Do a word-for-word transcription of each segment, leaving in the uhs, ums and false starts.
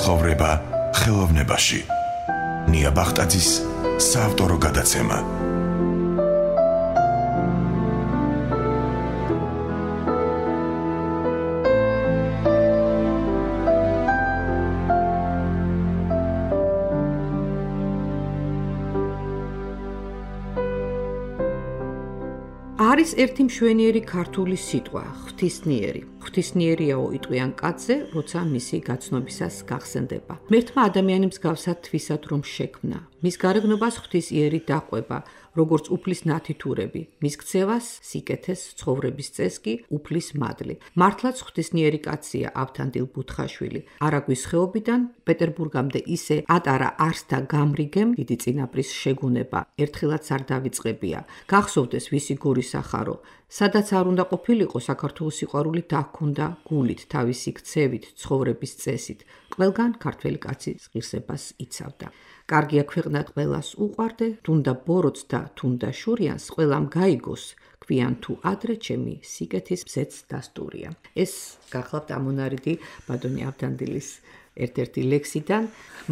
ცხოვრება ხელოვნებაში. ნია ბახტაძის საავტორო გადაცემა. არის ერთი მშვენიერი ქართული სიტყვა, ღვთისმიერი. ღვთისმიერიაო იტყვიან კაცზე, როცა მისი გაცნობისას გახსენდება. მერთმა ადამიანი მსგავსად თვისად რომ შექმნა. მის გარეგნობას ღვთის იერი დაყვება, როგორც უფლის ნათითურები, მის ქცევას, სიკეთეს, ცხოვრების წესს კი უფლის მადლი. მართლაც ღვთისმიერი კაცია ავთანდილ ბუთხაშვილი. არაგვის ხეობიდან პეტერბურგამდე ისე ატარა არსთა გამრიგემ დიდი წინაპრის შეგუნება, ერთხელაც არ დავიწყებია. გახსოვდეს ვისი გურის ახარო, სადაც არ უნდა ყოფილიყო საქართველოს სიყვარული დაჰქონდა გულით, თავისი ქცევით, ცხოვრების წესით. ყველგან ქართველი კაცი ღირსებას იცავდა. კარგია ქვეყნა ყველას უყვარდე, თუნდა ბოროტს და თუნდა შურიანს, ყველამ გაიგოს, გვიან თუ ადრე ჩემი სიკეთის მზეც დასტურია. ეს გახლავთ ამონარიდი ბატონი ავთანდილის ერთ-ერთი ლექსიდან.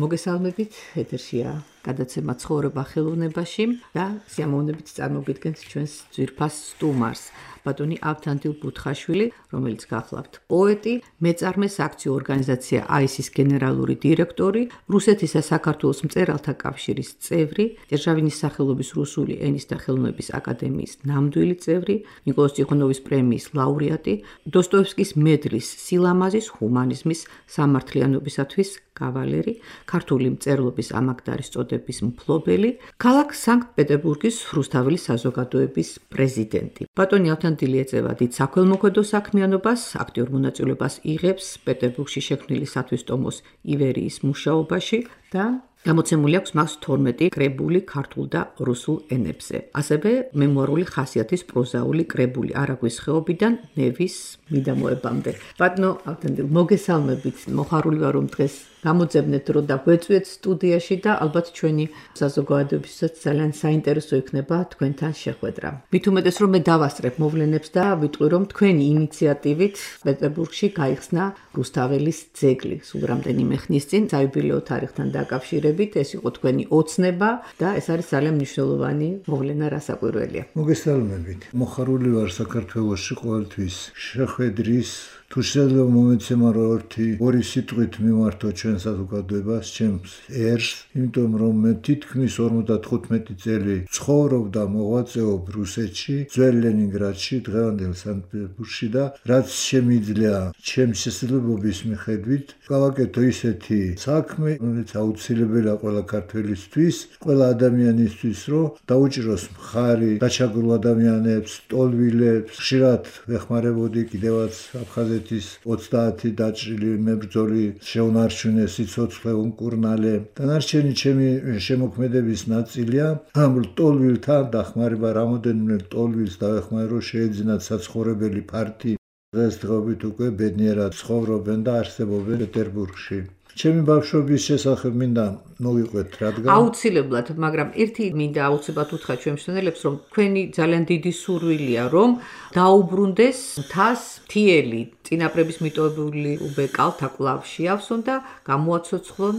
მოგესალმებით, ეთერშია გადაცემა ცხოვრება ხელოვნებაში და სიამოვნებით წარმოგიდგენთ ჩვენს ძვირფას სტუმარს, ბატონი ავთანდილ ბუთხაშვილი, რომელიც გახლავთ პოეტი, მეწარმე საქციო ორგანიზაცია აისის გენერალური დირექტორი, რუსეთის და საქართველოს მწერალთა კავშირის წევრი, დერჟავინის სახელობის რუსული ენის და ხელოვნების აკადემიის ნამდვილი წევრი, ნიკოლოზ ტიხონოვის პრემიის ლაურეატი, დოსტოევსკის მედლის სილამაზის, ჰუმანიზმის, სამართლიანობისათვის კავალერი, ქართული მწერლობის ამაგდარის წოდების მფლობელი, ქალაქ სანქტ-პეტერბურგის რუსთაველის საზოგადოების პრეზიდენტი. ბატონი ავთანდილი ეწევა დიდ საქველმოქმედო საქმიანობას, აქტიურ მონაწილეობას იღებს პეტერბურგში შექმნილი სათვისტომოს ივერიის მუშაობაში და გამოცემული აქვს მას თორმეტი კრებული ქართულ და რუსულ ენებზე. ასევე მემუარული ხასიათის პროზაული კრებული არაგვის ხეობიდან ნევის მიდამოებამდე. ბატონო ავთანდილ, მოგესალმებით, მოხარული ვარ რომ დღეს გამოძებნეთ დრო და გვეწვიეთ სტუდიაში და ალბათ ჩვენი საზოგადოებისაც ძალიან საინტერესო იქნება თქვენთან შეხვედრა. მით უმეტეს რომ მე დავასწრებ მოვლენებს და ვიტყვი რომ თქვენი ინიციატივით პეტერბურგში გაიხსნა რუსთაველის ძეგლი. სულ რამდენიმე ხნის წინ საიუბილეო თარიღთან დაკავშირებით ეს იყო თქვენი ოცნება და ეს არის ძალიან მნიშვნელოვანი მოვლენა, რასაკვირველია. მოგესალმებით. მოხარული ვარ საქართველოში ყოველთვის შეხვედრის თუ შეიძლება მომეცემა რომ ერთი ორი სიტყვით მიმართო ჩვენ საზოგადოებას, ჩემს ერს, იმიტომ რომ მე თითქმის ორმოცდათხუთმეტი წელი ცხოვრობ და მოღვაწეობ რუსეთში, ძველ ლენინგრადში, დღევანდელ სანქტ-პეტერბურგში და რაც შემიძლია ჩემს შესაძლებლობის მიხედვით გავაკეთო ისეთი საქმე, რომელიც აუცილებელია ყველა ქართველისთვის, ყველა ადამიანისთვის, რომ დაუჭიროს მხარი დაჩაგრულ ადამიანებს, ტოლვილებს, ხშირად ვეხმარებოდი კიდევაც აფხაზეთში ოცდაათი დაჭრილი მებრძოლი შეუნარჩუნეს სიცოცხლე უმკურნალე. დანარჩენი ჩემი შემოქმედების ნაწილია ამ ტოლვილთან დახმარება, რამოდენიმე ტოლვილს დავეხმარე, რომ შეეძინათ საცხოვრებელი ფართი. დღესდღეობით უკვე ბედნიერად ცხოვრობენ და არსებობენ პეტერბურგში. ჩემი ბავშვობის შესახებ მინდა მოვიყვეთ, რადგან აუცილებლად, მაგრამ ერთი მინდა აუცილებლად უთხრა ჩვენ მშენელებს, რომ თქვენი ძალიან დიდი სურვილია, რომ დაუბრუნდეს მთას მთიელი წინაპრების მიტოვებული უბეკალთა კვლავ შეავსონ და გამოაცოცხლონ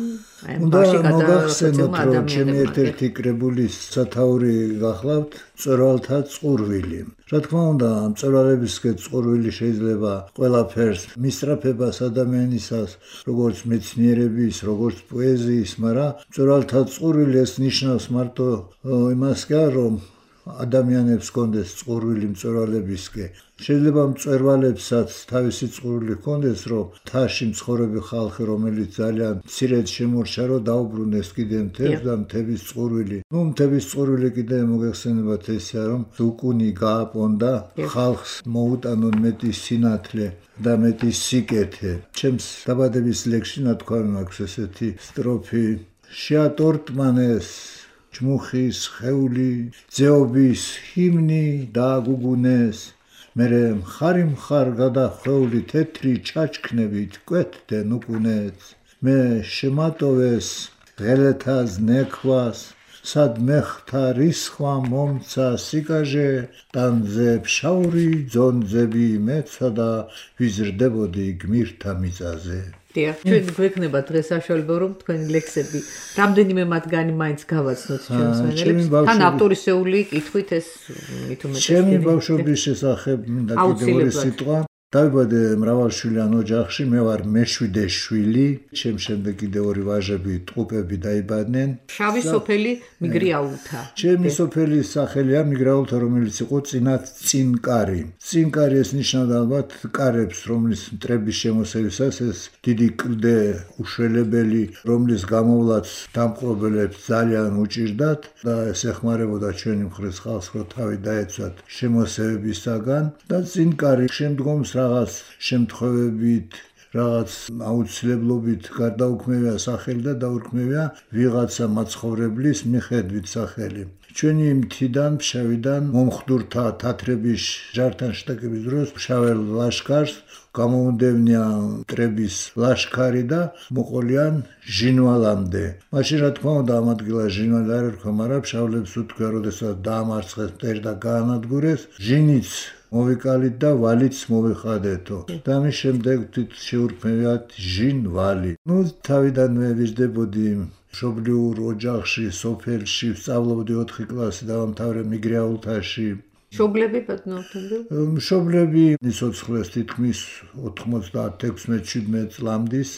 მბაში გადაგახსენოთ, რომ ჩემი ერთ-ერთი კრებულის სათაური გახლავთ მწვერვალთა წყურვილი. რა თქმა უნდა, მწვერვალებისკენ წყურვილი შეიძლება ყველაფერს მისწრაფებას ადამიანისას, როგორც მეცნიერების, როგორც პოეზიის, მაგრამ მწვერვალთა წყურვილი ეს ნიშნავს მარტო იმას კი არა, რომ ადამიანებს კონდეს წყურვილი მწვერვალებისკენ. შეიძლება მწვერვალებსაც თავისი წყურვილი ჰქონდეს, რომ მთაში მცხოვრები ხალხი, რომელიც ძალიან მცირედ შემორჩა, რომ დაუბრუნდეს კიდე მთებს და მთების წყურვილი. ნუ მთების წყურვილი კიდე მოგეხსენებათ ესეა, რომ უკუნი გააპონდა, ხალხს მოუტანონ მეტი სინათლე და მეტი სიკეთე. ჩემს დაბადების ლექსში ნათქვამი მაქვს ესეთი სტროფი: შეატორტმანეს ჯმუხის ხეული, ძეობის ჰიმნი დააგუგუნეს, მერე მხარი მხარ გადახვეული თეთრი ჩაჩქნებით კვეთდნენ უკუნეც. მე შემატოვეს ღელეთას ნექვას, სად მეხთა რისხვა მომცა სიკაჟე ტანზე ფშაური ძონძები მეცა და ვიზრდებოდი გმირთა მიწაზე. დიახ, ჩვენ გვექნება დღეს საშუალება რომ თქვენი ლექსები რამდენიმე მათგანი მაინც გავაცნოთ ჩვენს მენელებს. თან ავტორისეული კითხვით ეს მით უმეტეს. ჩემი ბავშვობის შესახებ მინდა კიდევ ორი სიტყვა. დავიბადე მრავალშვილიან ოჯახში, მე ვარ მეშვიდე შვილი, ჩემ შემდეგ კიდევ ორი ვაჟები, ტყუპები დაიბადნენ. შავი სოფელი მიგრიაულთა. ჩემი სოფელის სახელია მიგრიაულთა, რომელიც იყო წინათ წინკარი. წინკარი ეს ნიშნავდა ალბათ კარებს, რომლის მტრების შემოსევისას ეს დიდი კლდე უშველებელი, რომლის გამოვლაც დამპყრობელებს ძალიან უჭირდათ და ეს ეხმარებოდა ჩვენი მხრის ხალხს, რომ თავი დაეცვათ შემოსევებისაგან და წინკარი შემდგომს რაღაც შემთხვევებით, რაღაც აუცილებლობით გარდაუქმევია სახელი და დაურქმევია ვიღაცა მაცხოვრებლის მიხედვით სახელი. ჩვენი მთიდან, ფშავიდან მომხდურთა თათრების ჯართან შეტაკების დროს ფშაველ ლაშქარს გამოუნდევნია მტრების ლაშქარი და მოყოლიან ჟინვალამდე. მაშინ რა თქმა უნდა ამ ადგილას ჟინვალი არ ერქვა, მაგრამ ფშავლებს უთქვია, როდესაც დაამარცხეს მტერი და გაანადგურეს, ჟინიც მოვიკალით და ვალიც მოვიხადეთო. და ამის შემდეგ თვით შეურქმევიათ ჟინვალი. ნუ თავიდანვე ვიზრდებოდი მშობლიურ ოჯახში, სოფელში, ვსწავლობდი ოთხი კლასი დავამთავრე მიგრიაულთაში. მშობლები ბატონო? მშობლები სიცოცხლეს თითქმის ოთხმოცდაათი ექვსმეტ შვიდმეტ წლამდის.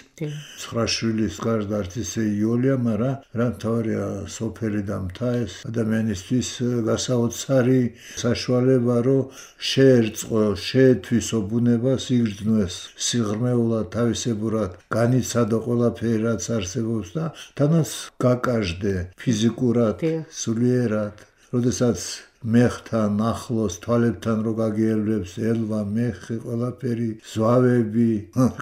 ცხრა შვილის გარდა არც ისე იოლია, მაგრამ რა მთავარია სოფელი და მთა ეს ადამიანისთვის გასაოცარი საშუალება, რომ შეერწყო, შეეთვისო ბუნებას, იგრძნოს სიღრმეულად, თავისებურად, განიცადო ყველაფერი, რაც არსებობს და თანაც გაკარჟდე ფიზიკურად, სულიერად. როდესაც მეხთან ახლოს თვალებთან რო გაგიელვებს ელვა, მეხი, ყველაფერი, ზვავები,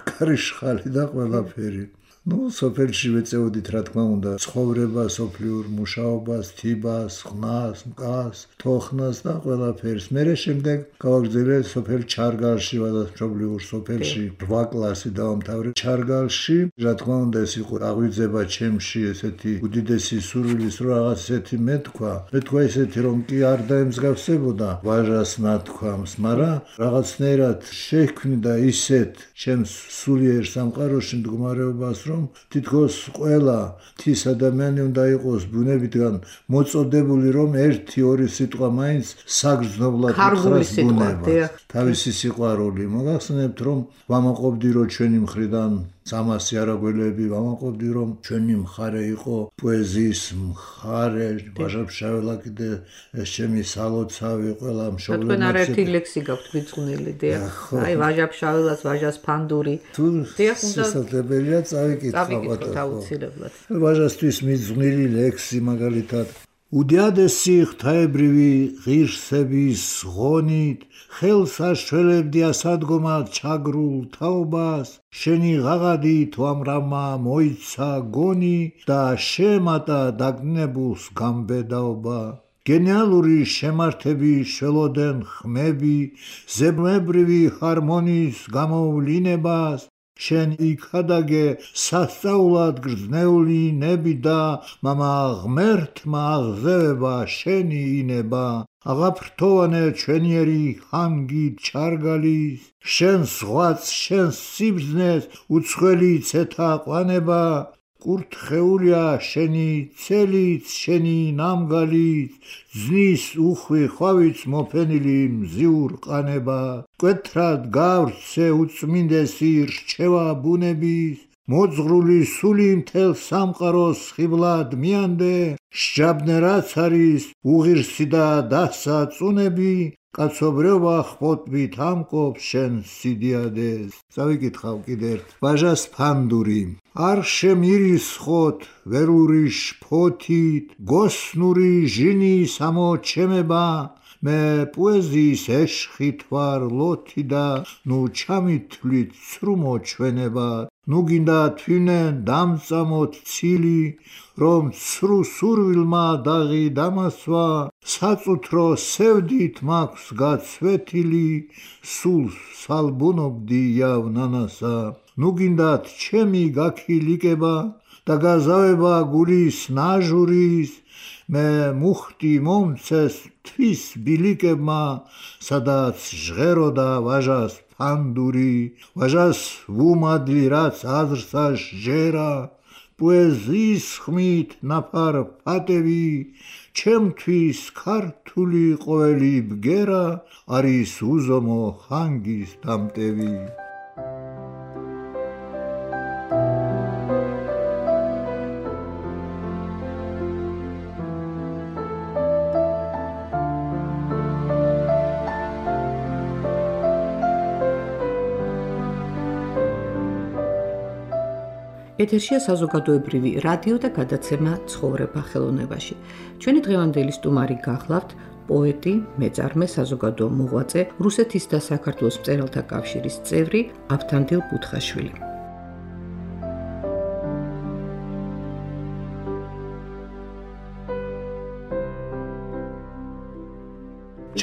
კარიშხალი და ყველაფერი. ნუ სოფელში ვეწეოდით რა თქმა უნდა ცხოვრება, სოფლიურ მუშაობას, თიბას, ხნას, მკას, თოხნას და ყველაფერს. მერე შემდეგ გავაგრძელე სოფელ ჩარგალში, ვადაც მშობლიურ სოფელში რვა კლასი დავამთავრე ჩარგალში. რა თქმა უნდა ეს იყო აღვიძება ჩემში ესეთი უდიდესი სურვილის, რომ რაღაც ესეთი მეთქვა. მეთქვა ესეთი რომ კი არ დაემსგავსებოდა ვაჟას ნათქვამს, მაგრამ რაღაცნაირად შექმნიდა ისეთ ჩემს სულიერ სამყაროში მდგომარეობას, რომ თითქოს ყველა თის ადამიანი უნდა იყოს ბუნებიდან მოწოდებული, რომ ერთი ორი სიტყვა მაინც საგრძნობლად უთხრას ბუნებას, თავისი სიყვარული. მოგახსენებთ, რომ ვამაყობდი, რომ ჩვენი მხრიდან სამასი არაგველები, ვამაყობდი, რომ ჩვენი მხარე იყო პოეზიის მხარე, ვაჟა-ფშაველა კიდე ეს ჩემი სალოცავი, ყველა მშობლებმა. თქვენ არაერთი ლექსი გაქვთ მიძღვნილი, დიახ. აი ვაჟა-ფშაველას, ვაჟას ფანდური. დიახ, უნდა შესაძლებელია წავიკითხავთ აუცილებლად. ვაჟასთვის მიძღვნილი ლექსი მაგალითად უდიადესი ღვთაებრივი ღირსების ღონით ხელს აშველებდი ასადგომად ჩაგრულ თაობას, შენი ღაღადით ვამრავმა მოიცა გონი და შემატა დაგნებულს გამბედაობა. გენიალური შემართების შველოდენ ხმები, ზებმებრივი ჰარმონიის გამოვლინებას, შენ იქადაგე სასწაულად გრძნეული ნები და მამა ღმერთმა აღზევება შენი ინება. აღაფრთოვანე ჩვენიერი ჰანგით ჩარგალის, შენ ზღვაც, შენ სიბრძნეს უცხელი ცეთა ყვანება. კურთხეულია შენი ცელიც, შენი ნამგალიც, ძნის უხვი ხვავიც მოფენილი მზიურ ყანება. მკვეთრად გავრცე უწმინდესი რჩევა ბუნების, მოძღრული სული მთელ სამყაროს ხიბლად მიანდე. სჯაბნე რაც არის უღირსი და დასაწუნები, კაცობრიობა ხპოტბით ამკობს შენ სიდიადეს. წავიკითხავ კიდე ერთ. ვაჟას ფანდური. არ შემირისხოთ ველური შფოთით, გოსნური ჟინი სამოჩემება, მე პოეზიის ეშხით ვარ ლოთი და ნუ ჩამითვლით ცრუმო ჩვენება. ნუ გინდა თვინენ დამწამოთ ცილი, რომ ცრუ სურვილმა დაღი დამასვა, საწუთრო სევდით მაქვს გაცვეთილი, სულს სალბუნობდი იავნანასა. ნუ გინდათ ჩემი გაქილიკება, და გაზავება გულის ნაჟურის მე მუხტი მომცეს თვის ბილიკებმა სადაც ჟღეროდა ვაჟას ფანდური ვაჟას ვუმადლი რაც აზრსა ჟერა პოეზიის ხმით ნაფარ ფატევი ჩემთვის ქართული ყოველი ბგერა არის უზომო ხანგის დამტევი ეთერშია საზოგადოებრივი რადიო და გადაცემა ცხოვრება ხელოვნებაში. ჩვენი დღევანდელი სტუმარი გახლავთ პოეტი, მეწარმე, საზოგადო მოღვაწე, რუსეთის და საქართველოს მწერალთა კავშირის წევრი ავთანდილ ბუთხაშვილი.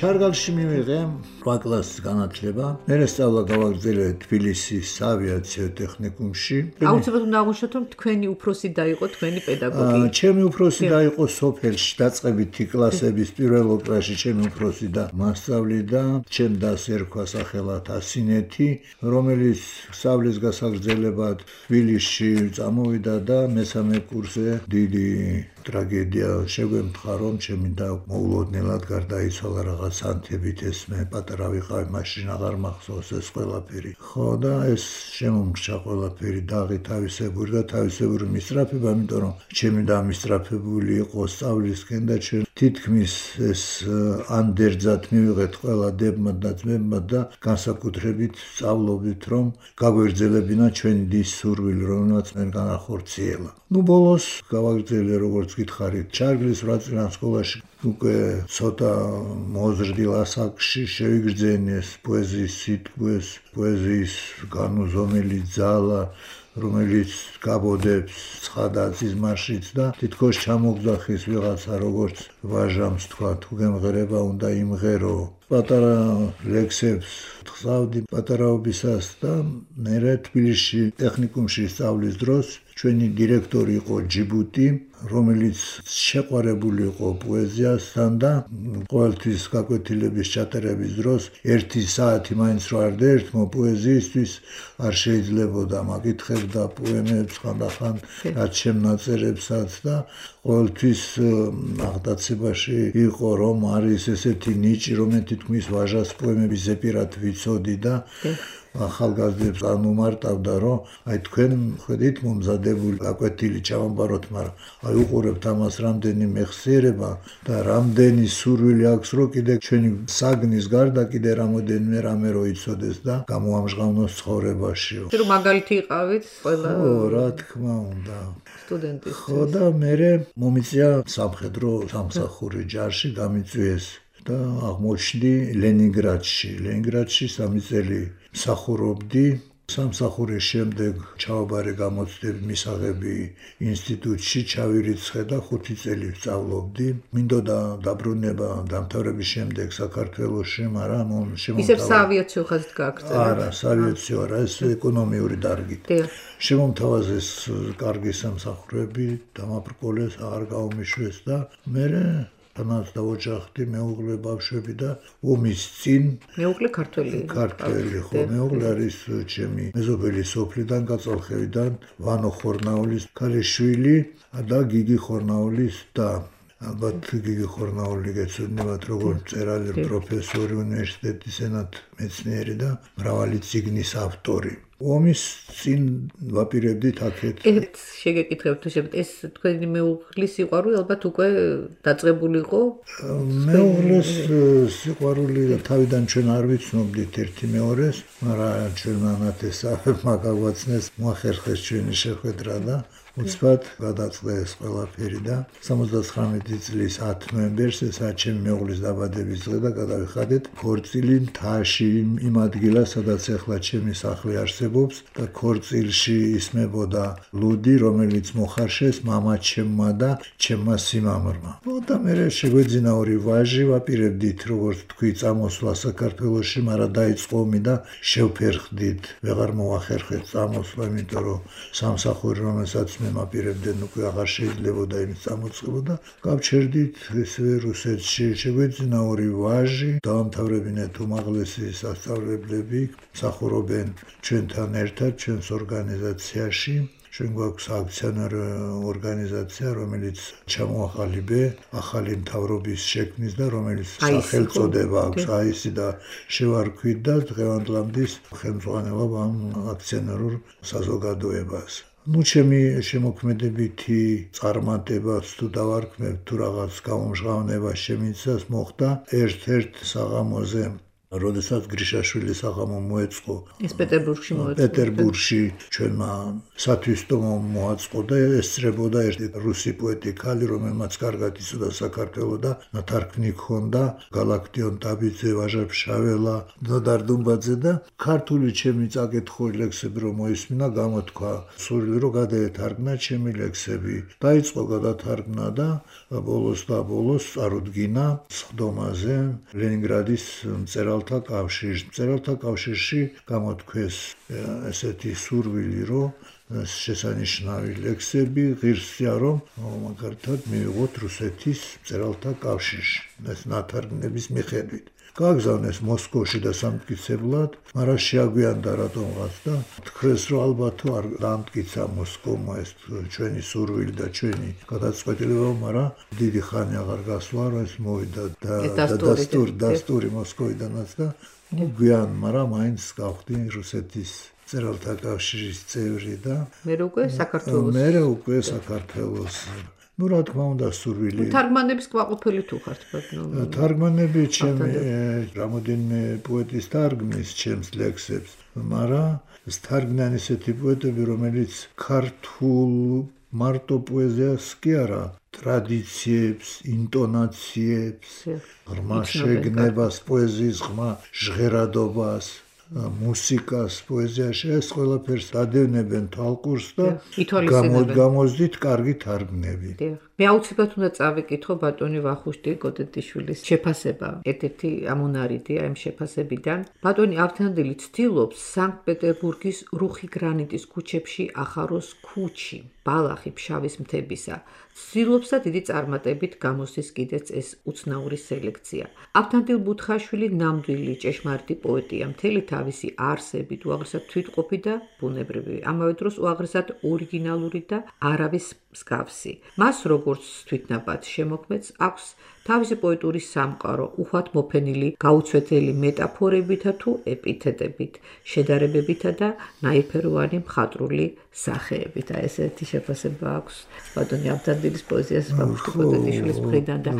ჩარგალში მივიღე რვა კლასის განათლება. მე სწავლა გავაგრძელე თბილისის საავიაციო ტექნიკუმში. აუცილებლად უნდა აღვნიშნოთ, რომ თქვენი უფროსი და იყო თქვენი პედაგოგი. ჩემი უფროსი და იყო სოფელში დაწყებითი კლასების პირველ კლასში ჩემი უფროსი და მასწავლიდა. ჩემ დას ერქვა სახელად ასინეთი, რომელიც სწავლის გასაგრძელებად თბილისში წამოვიდა და მესამე კურსზე დიდი ტრაგედია შეგვემთხა, რომ ჩემი და მოულოდნელად გარდაიცვალა რაღაც ანთებით ეს მე პატარა ვიყავი მაშინ აღარ მახსოვს ეს ყველაფერი. ხო და ეს შემომგრჩა ყველაფერი დაღი თავისებური და თავისებური მისწრაფება, იმიტომ რომ ჩემი და მისწრაფებული იყო სწავლისკენ და ჩვენ თითქმის ეს ანდერძად მივიღეთ ყველა დებმა და ძმებმა და განსაკუთრებით სწავლობით რომ გაგვერძელებინა ჩვენი დის სურვილი, რომელმაც მე განახორციელა. ნუ ბოლოს გავაგრძელე როგორც გითხარით ჩარგლის ვრაწილან სკოლაში უკვე ცოტა მოზრდილ ასაკში შევიგრძენი ეს პოეზიის სიტყვეს, პოეზიის განუზომელი ძალა, რომელიც გაბოდებს ცხადა სიზმარშიც და თითქოს ჩამოგძახის ვიღაცა როგორც ვაჟამს თქვა თუ გემღერება უნდა იმღერო. პატარა ლექსებს ხსავდი პატარაობისას და მე თბილისში ტექნიკუმში სწავლის დროს ჩვენი დირექტორი იყო ჯიბუტი, რომელიც შეყვარებული იყო პოეზიასთან და ყოველთვის გაკვეთილების ჩატარების დროს ერთი საათი მაინც რო არ დაერთმო პოეზიისთვის არ შეიძლებოდა, მაკითხებდა პოემებს ხანდახან რაც შემნაწერებსაც და ყოველთვის აღტაცებაში იყო რომ არის ესეთი ნიჭი, რომელიც თითქმის ვაჟას პოემების ზეპირად ვიცოდი და ახალგაზრდებს ანუმარტავდა, რომ აი თქვენ ხედით მომზადებული გაკვეთილი ჩავამბაროთ, მაგრამ აი უყურებთ ამას რამდენი მეხსიერება და რამდენი სურვილი აქვს, რომ კიდე ჩვენი საგნის გარდა კიდე რამოდენიმე რამე რო იცოდეს და გამოამჟღავნოს ცხოვრებაში. რომ მაგალითი იყავით ყველა ხო, რა თქმა უნდა. სტუდენტის. ხო და მე მომიწია სამხედრო სამსახური ჯარში გამიწვიეს და აღმოჩნდი ლენინგრადში. ლენინგრადში სამი წელი მსახურობდი. სამსახურის შემდეგ ჩავაბარე გამოცდები მისაღები ინსტიტუტში ჩავირიცხე და ხუთი წელი ვსწავლობდი. მინდოდა დაბრუნება დამთავრების შემდეგ საქართველოში, მაგრამ შემომთავრდა. ისევ საავიაციო ხაზით გააგრძელა? არა, საავიაციო არა, ეს ეკონომიური დარგით. შემომთავაზეს კარგი სამსახურები, დამაბრკოლეს, აღარ გაუმიშვეს და მე თანაც დავოჯახდი მეუღლე ბავშვები და ომის წინ მეუღლე ქართველი ქართველი ხო მეუღლე არის ჩემი მეზობელი სოფლიდან გაწოლხევიდან ვანო ხორნაულის ქალიშვილი და გიგი ხორნაულის და ალბათ გიგი ხორნაული გეცნობათ როგორც მწერალი, პროფესორი, უნივერსიტეტის ენათ მეცნიერი და მრავალი წიგნის ავტორი. ომის წინ ვაპირებდით აქეთ. ერთ შეგეკითხებთ შეფეთ ეს თქვენი მეუღლის სიყვარული ალბათ უკვე დაწყებული იყო? მეუღლის სიყვარული თავიდან ჩვენ არ ვიცნობდით ერთი მეორეს, მაგრამ ჩვენ მანათესავებმა გაგვაცნეს, მოახერხეს ჩვენი შეხვედრა და უცბად გადაწყდა ეს ყველაფერი და სამოცდაცხრამეტი წლის ათი ნოემბერს, ესაა ჩემი მეუღლის დაბადების დღე და გადავიხადეთ ქორწილი მთაში იმ ადგილას, სადაც ახლა ჩემი სახლი არსებობს და ქორწილში ისმებოდა ლუდი, რომელიც მოხარშეს მამაჩემმა და ჩემმა სიმამრმა. და მე შეგვეძინა ორი ვაჟი, ვაპირებდით, როგორც თქვი, წამოსვლა საქართველოში, მაგრამ დაიწყო ომი და შევფერხდით. ვეღარ მოახერხეთ წამოსვლა, იმიტომ რომ სამსახური, რომელსაც მე მაპირებდნენ, უკვე აღარ შეიძლებოდა იმის წამოწყება და გავჩერდით ესე რუსეთში. შეგვეძინა ორი ვაჟი, დაამთავრებინეთ უმაღლესი სასწავლებლები, მსახურობენ ჩვენთან ერთად, ჩვენს ორგანიზაციაში. ჩვენ გვაქვს აქციონერი ორგანიზაცია, რომელიც ჩამოაყალიბე ახალი მთავრობის შექმნის და რომელიც სახელწოდება აქვს აისი და შევარქვით და დღევანდლამდის ხელმძღვანელობ ამ აქციონერულ საზოგადოებას. ნუ ჩემი შემოქმედებითი წარმატებაც თუ დავარქმევ თუ რაღაც გამომჟღავნება შემიცას მოხდა ერთ-ერთ საღამოზე, როდესაც გრიშაშვილის საღამო მოეწყო. ეს პეტერბურგში მოეწყო. პეტერბურგში ჩვენმა სათვისტომო მოაწყო და ესწრებოდა ერთი რუსი პოეტი ქალი, რომელმაც კარგად იცოდა საქართველო და ნათარგმნი ჰქონდა გალაქტიონ ტაბიძე, ვაჟა ფშაველა, ნოდარ დუმბაძე და ქართული ჩემი წაკითხული ლექსები რომ მოისმინა, გამოთქვა სურვილი რომ გადაეთარგმნა ჩემი ლექსები. დაიწყო გადათარგმნა და ბოლოს და ბოლოს წარუდგინა სხდომაზე ლენინგრადის მწერალ კავშირში. მწერალთა კავშირში გამოთქვეს ესეთი სურვილი, რომ შესანიშნავი ლექსები ღირსია, რომ მაგალითად მივიღოთ რუსეთის მწერალთა კავშირში. ეს ნათარგმნების მიხედვით. გააგზავნეს მოსკოვში და სამტკიცებლად, მაგრამ შეაგვიანდა რატომღაც და თქვეს, რომ ალბათ თუ არ დაამტკიცა მოსკოვმა ეს ჩვენი სურვილი და ჩვენი გადაწყვეტილება, მაგრამ დიდი ხანი აღარ გასვლა, რომ ეს მოვიდა და დასტური დასტური მოსკოვიდანაც და გვიან, მაგრამ მაინც გავხდი რუსეთის მწერალთა კავშირის წევრი და მე უკვე საქართველოს მე უკვე საქართველოს ну რა თქმა უნდა სურვილი თარგმანების კმაყოფილი თუ ხართ ბატონო თარგმანები ჩემი რამოდენიმე პოეტის თარგმნის ჩემს ლექსებს მაგრამ ეს თარგმნან ისეთი პოეტები რომელიც ქართულ მარტო პოეზიას კი არა ტრადიციებს ინტონაციებს ღრმა შეგნებას პოეზიის ღრმა ჟღერადობას მუსიკას პოეზიაში ეს ყველაფერს ადევნებენ თვალყურს და გამოძდით კარგი თარგმნები. მე აუცილებლად უნდა წავიკითხო ბატონი ვახუშტი კოტეტიშვილის შეფასება. ერთ-ერთი ამონარიდია ამ შეფასებიდან. ბატონი ავთანდილი ცდილობს სანქტ-პეტერბურგის რუხი გრანიტის ქუჩებში ახაროს ქუჩი, ბალახი ფშავის მთებისა. ცდილობს და დიდი წარმატებით გამოსდის კიდეც ეს უცნაური სელექცია. ავთანდილ ბუთხაშვილი ნამდვილი ჭეშმარიტი პოეტია, მთელი თავისი არსებით უაღრესად თვითყოფი და ბუნებრივი, ამავე დროს უაღრესად ორიგინალური და არავის მსგავსი. მას როგორც თვითნაბად შემოქმედს აქვს თავისი პოეტური სამყარო, უხვად მოფენილი გაუცვეთელი მეტაფორებითა თუ ეპითეტებით, შედარებებითა და ნაირფეროვანი მხატვრული სახეებით. აი ესეთი შეფასება აქვს ბატონი ავთანდილის პოეზიას ვახუშტი კოტეტიშვილის მხრიდან და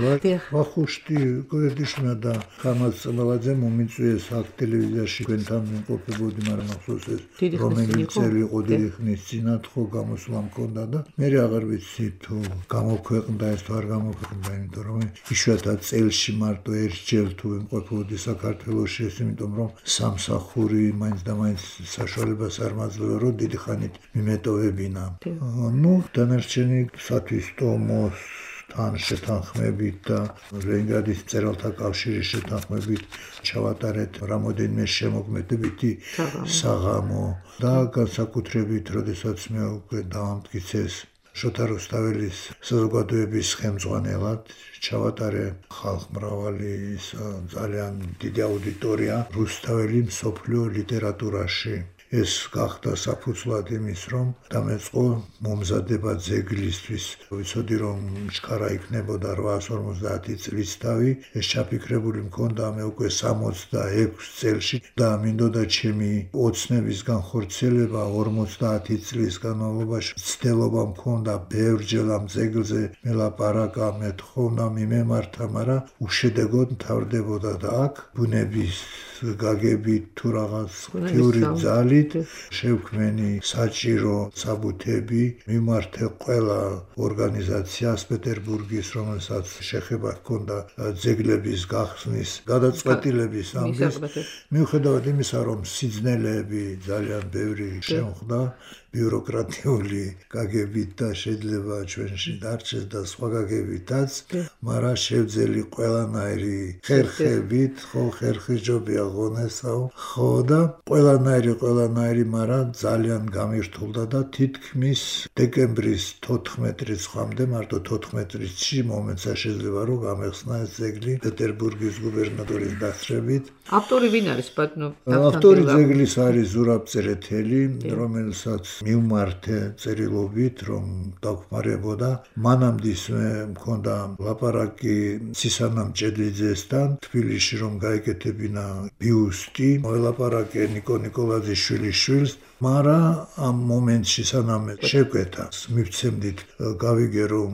ვახუშტი კოტეტიშვილმა და ხამას წმალაძე მომიწვიეს აქ ტელევიზიაში ჩვენთან მყოფებოდი, მაგრამ ახსოვს ეს რომელი წელი იყო დიდი ხნის წინათ ხო გამოსვლა მქონდა და მე აღარ ვიცი თუ გამოქვეყნდა ეს თუ არ გამოქვეყნდა, იმიტომ რომ იშვიათად წელში მარტო ერთჯერ თუ იმყოფებოდი საქართველოში, ეს იმიტომ რომ სამსახური მაინც და მაინც საშუალებას არ მაძლევდა რომ დიდი ხანით მიმეტოვებინა. ნუ დანარჩენი სათვისტომოს თან შეთანხმებით და ლენინგრადის მწერალთა კავშირის შეთანხმებით ჩავატარეთ რამოდენიმე შემოქმედებითი საღამო და განსაკუთრებით როდესაც მე უკვე დაამტკიცეს შოთა რუსთაველის საზოგადოების ხელმძღვანელად ჩავატარე ხალხმრავალი ძალიან დიდი აუდიტორია რუსთაველი მსოფლიო ლიტერატურაში. ეს გახდა საფუძვლად იმის, რომ დამეწყო მომზადება ძეგლისთვის. ვიცოდი, რომ ჩქარა იქნებოდა რვაას ორმოცდაათი წლის თავი, ეს ჩაფიქრებული მქონდა მე უკვე სამოცდაექვსი წელში და მინდოდა ჩემი ოცნების განხორციელება ორმოცდაათი წლის განმავლობაში. ცდილობა მქონდა ბევრჯერ ამ ძეგლზე მელაპარაკა, მეთხოვნა, მიმემართა, მაგრამ უშედეგოდ მთავრდებოდა და აქ ბუნების გაგებით თუ რაღაც ღვთიური ძალით ხმებით შევქმენი საჭირო საბუთები მიმართე ყველა ორგანიზაციას პეტერბურგის, რომელსაც შეხება ჰქონდა ძეგლების გახსნის გადაწყვეტილების ამბის, მიუხედავად იმისა, რომ სიძნელეები ძალიან ბევრი შემხვდა ბიუროკრატიული გაგებით და შეიძლება ჩვენში დარჩეს და სხვა გაგებითაც, მაგრამ შევძელი ყველანაირი ხერხებით, ხო ხერხი ჯობია ღონესაო, ხო და ყველანაირი ყველანაირი, მაგრამ ძალიან გამირთულდა და თითქმის დეკემბრის თოთხმეტი რიცხვამდე, მარტო თოთხმეტი რიცხვში მომეცა შეიძლება რომ გამეხსნა ეს ძეგლი პეტერბურგის გუბერნატორის დასწრებით. ავტორი ვინ არის ბატონო? ავტორი ძეგლის არის ზურაბ წერეთელი, რომელსაც მივმართე წერილობით, რომ დაგმარებოდა. მანამდის მქონდა ლაპარაკი სისანამ ჭედლიძესთან თბილისში, რომ გაეკეთებინა ბიუსტი, მოელაპარაკე ნიკო ნიკოლაძიშვილის შვილს, მაგრამ ამ მომენტში სანამ შეკვეთა მივცემდით გავიგე, რომ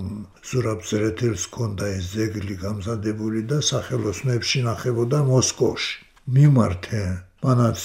ზურაბ წერეთელს ჰქონდა ეს ძეგლი გამზადებული და სახელოსნოებში ნახებოდა მოსკოვში. მივმართე მანაც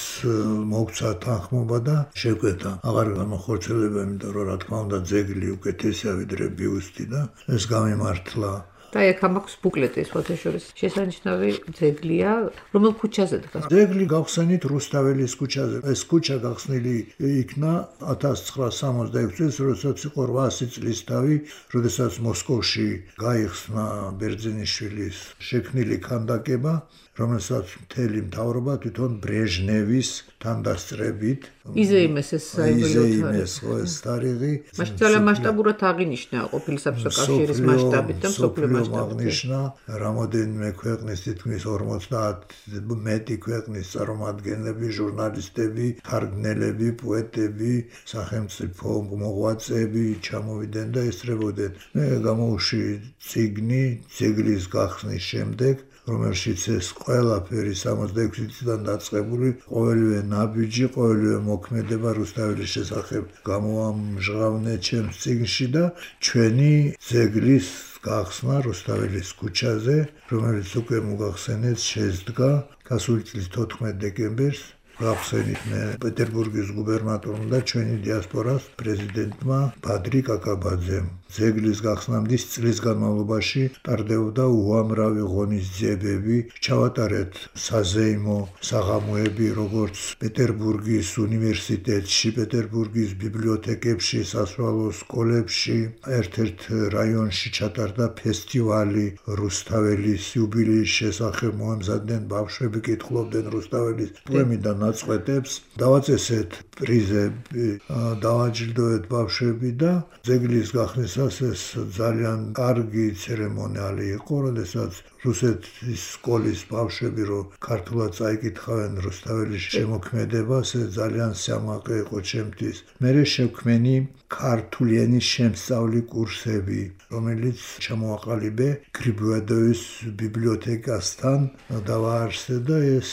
მოგცა თანხმობა და შეკვეთა. აღარ გამოხორცელება, იმიტომ რომ რა თქმა უნდა ძეგლი უკეთესია ვიდრე ბიუსტი და ეს გამიმართლა. და აქ მაქვს ბუკლეტი, ფოტოშორის შესანიშნავი ძეგლია, რომელ ქუჩაზე დგას? ძეგლი გავხსენით რუსთაველის ქუჩაზე. ეს ქუჩა გახსნილი იქნა ათას ცხრაასი სამოცდაექვსი წელს, როდესაც იყო რვაასი წლის თავი, როდესაც მოსკოვში გაიხსნა ბერძენიშვილის შექმნილი ქანდაკება, რომელსაც მთელი მთავრობა თვითონ ბრეჟნევის თანდასწრებით იზეიმეს ეს იზეიმეს ეს თარიღი. მაშინ ძალიან მასშტაბურად აღინიშნა ყოფილი საბჭოთა კავშირის მასშტაბით და მსოფლიო მასშტაბით. აღნიშნა რამოდენიმე ქვეყნის თითქმის ორმოცდაათი მეტი ქვეყნის წარმომადგენლები, ჟურნალისტები, თარგმნელები, პოეტები, სახელმწიფო მოღვაწეები ჩამოვიდნენ და ესწრებოდნენ. მე გამოვში წიგნი ძეგლის გახსნის შემდეგ, რომელშიც ეს ყველაფერი სამოცდაექვსი წლიდან დაწყებული, ყოველივე ნაბიჯი, ყოველივე მოქმედება რუსთაველის შესახებ გამოამჟღავნე ჩემს წიგნში და ჩვენი ძეგლის გახსნა რუსთაველის ქუჩაზე, რომელიც უკვე მოგახსენეთ, შედგა გასული წლის თოთხმეტი დეკემბერს. გავხსენით მე პეტერბურგის გუბერნატორმა და ჩვენი დიასპორას პრეზიდენტმა ბადრი კაკაბაძემ. ძეგლის გახსნამდლის წლის განმავლობაში ტარდებოდა უამრავი ღონისძიებები, ჩავატარეთ საზეიმო საღამოები, როგორც პეტერბურგის უნივერსიტეტში, პეტერბურგის ბიბლიოთეკებში, სასწავლო სკოლებში, ერთ-ერთ რაიონში ჩატარდა ფესტივალი რუსთაველის იუბილეის შესახებ, მოამზადნენ ბავშვები, კითხულობდნენ რუსთაველის პოემიდან ნაწყვეტებს, დავაწესეთ პრიზები, დავაჯილდოვეთ ბავშვები და ძეგლის გახსნისას ეს ძალიან კარგი ცერემონიალი იყო, როდესაც რუსეთის სკოლის ბავშვები რო ქართულად წაიკითხავენ რუსთაველის შემოქმედებას, ეს ძალიან სიამაყე იყო ჩემთვის. მერე შევქმენი ქართული ენის შემსწავლი კურსები, რომელიც ჩამოაყალიბე გრიბოედოვის ბიბლიოთეკასთან დავაარსე და ეს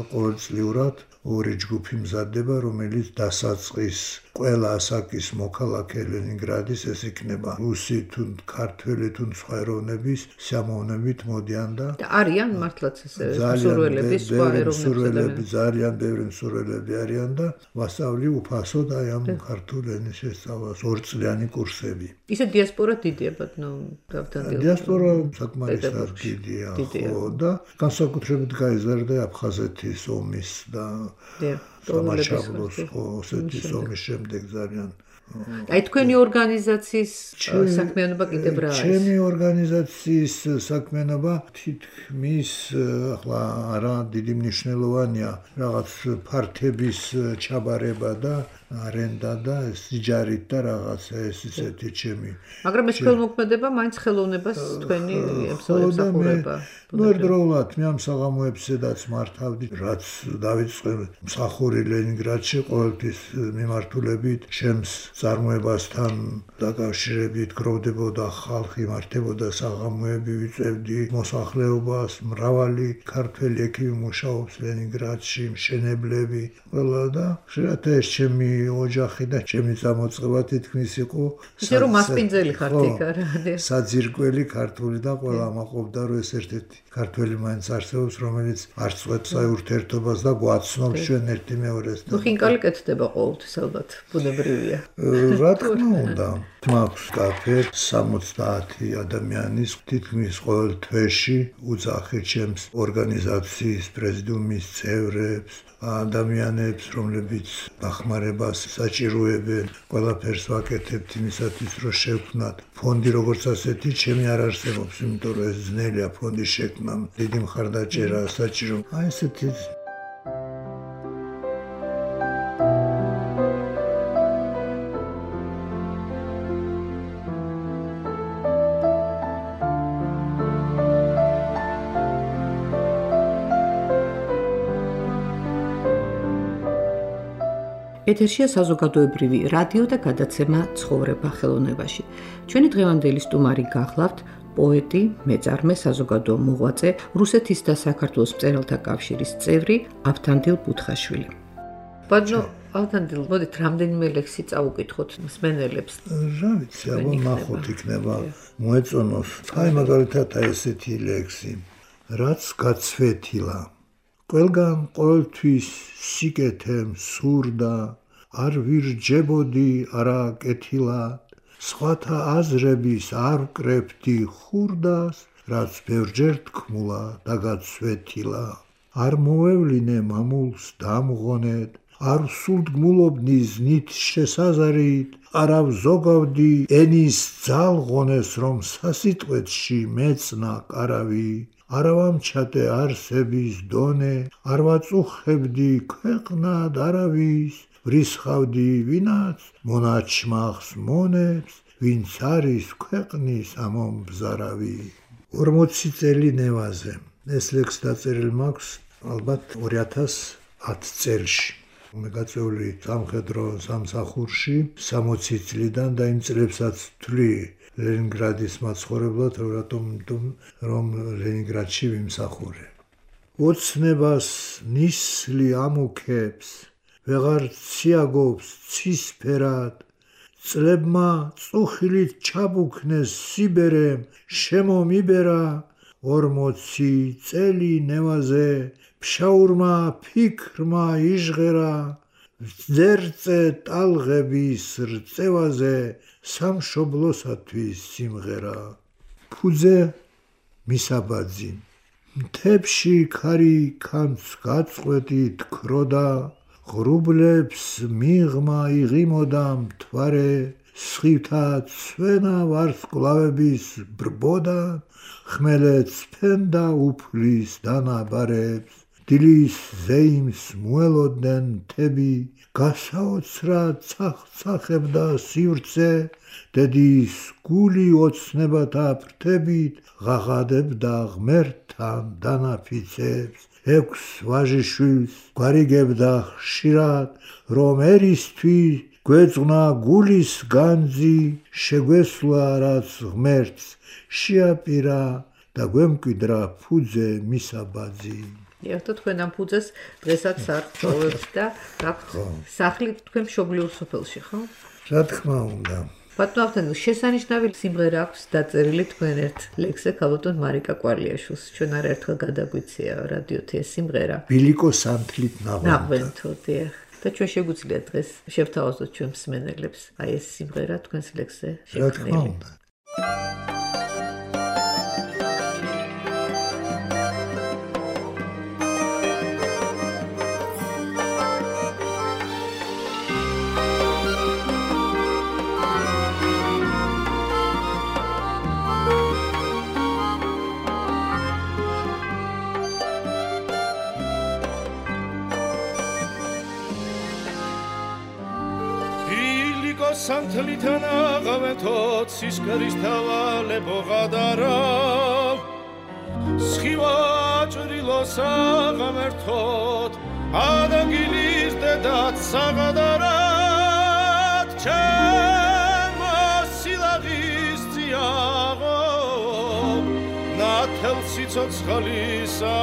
ყოველწლიურად ორი ჯგუფი მზადდება, რომელიც დასაწყის ყველა ასაკის მოქალაქე ლენინგრადის, ეს იქნება რუსი თუ ქართველი თუ სხვა ეროვნების სიამოვნებით მოდიან და არიან მართლაც ესე მსურველები, სხვა ეროვნები, ძალიან ბევრი მსურველები არიან და ვასწავლი უფასოდ აი ამ ქართული ენის შესწავლას ორწლიანი კურსები. ისე დიასპორა დიდია, ბატონო, დავთანდილ. დიასპორა საკმარისად დიდია, ხო და განსაკუთრებით გაიზარდა აფხაზეთის ომის და სამაშაბლოს ოსეთის ომის შემდეგ ძალიან. აი თქვენი ორგანიზაციის საქმიანობა კიდევ რა არის? ჩემი ორგანიზაციის საქმიანობა თითქმის ახლა არა დიდი მნიშვნელოვანია, რაღაც ფართების ჩაბარება და არენდა და სიჯარით და რაღაცა ეს ისეთი ჩემი. მაგრამ ეს ხელმოქმედება მაინც ხელოვნებას თქვენი ემსახურება. ნუ ერთდროულად მე ამ საღამოებსაც მართავდი, რაც დავიწყე მსახური ლენინგრადში ყოველთვის მიმართულებით ჩემს წარმოებასთან დაკავშირებით გროვდებოდა ხალხი, მართებოდა საღამოები, ვიწევდი მოსახლეობას, მრავალი ქართველი ექიმი მუშაობს ლენინგრადში, მშენებლები, ყველა და შეიძლება ეს ჩემი ოჯახი და ჩემი წამოწყება თითქმის იყო ისე რომ მასპინძელი ხართ იქ არა საძირკველი ქართული და ყველა მაყობდა რომ ეს ერთ-ერთი ქართველი მაინც არსებობს რომელიც არ წვეთს აი ურთიერთობას და გვაცნობს ჩვენ ერთი მეორეს და ხინკალი კეთდება ყოველთვის ალბათ ბუნებრივია რა თქმა უნდა მაქვს კაფე სამოცდაათი ადამიანის თითქმის ყოველ თვეში უძახი ჩემს ორგანიზაციის პრეზიდიუმის წევრებს ადამიანებს რომლებიც დახმარებას საჭიროებენ ყველაფერს ვაკეთებთ იმისათვის რომ შევქმნათ ფონდი როგორც ასეთი ჩემი არ არსებობს იმიტომ რომ ეს ძნელია ფონდის შექმნა დიდი მხარდაჭერა საჭირო აი ესეთი ეთერშია საზოგადოებრივი რადიო და გადაცემა ცხოვრება ხელოვნებაში. ჩვენი დღევანდელი სტუმარი გახლავთ პოეტი, მეწარმე, საზოგადო მოღვაწე, რუსეთის და საქართველოს მწერალთა კავშირის წევრი ავთანდილ ბუთხაშვილი. ბატონო ავთანდილ, მოდით რამდენიმე ლექსი წავუკითხოთ მსმენელებს. რა ვიცი, აბა ნახოთ იქნება მოეწონოს. აი მაგალითად ესეთი ლექსი. რაც გაცვეთილა ყველგან ყოველთვის სიკეთემ სურდა არ ვირჯებოდი არა კეთილად სხვათა აზრების არ ვკრებდი ხურდას რაც ბევრჯერ თქმულა და გაცვეთილა არ მოვევლინე მამულს დამღონედ არ ვსულდგმულობდი ზნით შესაზარით არა ვზოგავდი ენის ძალღონეს რომ სასიტყვეთში მეწნა კარავი არა ვამჩატე არსების დონე, არ ვაწუხებდი ქვეყნად არავის, ვრისხავდი ვინაც მონაჩმახს მონებს, ვინც არის ქვეყნის ამომბზარავი. ორმოცი წელი ნევაზე. ეს ლექსი დაწერილი მაქვს ალბათ ორი ათას ათი წელში. მე გაწეული სამხედრო სამსახურში სამოცი წლიდან და იმ წლებსაც ვთვლი ლენინგრადის მაცხოვრებლად, რატომ რომ ლენინგრადში ვიმსახურე. ოცნებას ნისლი ამუქებს, ვეღარ ციაგობს ცისფერად, წლებმა წუხილით ჩაბუქნეს სიბერემ, შემომიბერა, ორმოცი წელი ნევაზე, ფშაურმა ფიქრმა იჟღერა, ძერწე ტალღების რწევაზე, სამშობლოსათვის სიმღერა. ფუძე მისაბაძი. მთებში ქარი ქანც გაწყვეტით ქროდა, ღრუბლებს მიღმა იღიმოდა მთვარე, სხივთა ცვენა ვარსკვლავების ბრბოდა, ხმელეთს ფენდა უფლის დანაბარებს, დილის ზეიმს მოელოდნენ მთები, გასაოცრად ცახცახებდა სივრცე, დედის გული ოცნებათა ფრთებით ღაღადებდა ღმერთთან დანაფიცებს, ექვს ვაჟიშვილს გვარიგებდა ხშირად, რომ ერისთვის გვეწვნა გულის განძი, შეგვესვლა რაც ღმერთს შეაპირა და გვემკვიდრა ფუძე მისაბაძი. ერთო თქვენ ამ ფუძეს დღესაც არ ხოვებთ და გაქვთ სახლი თქვენ მშობლიურ სოფელში, ხო? რა თქმა უნდა. ბატონო ავთანდილ, შესანიშნავი სიმღერა აქვს დაწერილი თქვენ ერთ ლექსზე ქალბატონ მარიკა კვარლიაშვილს. ჩვენ არაერთხელ გადაგვიცია რადიოთი ეს სიმღერა. ბილიკო სანთლით ნაღვენთო. ნაღვენთო, დიახ. და ჩვენ შეგვიძლია დღეს შევთავაზოთ ჩვენ მსმენელებს აი ეს სიმღერა თქვენს ლექსზე შექმნილი. რა თქმა უნდა. სანთლითან აღავენთო ცისკრის თავალებო ღადარავ სხივა ჭრილოს აღამერთოთ ადაგილის დედაც საღადარად ჩემო სილაღის წიაღო ნათელ სიცოცხლისა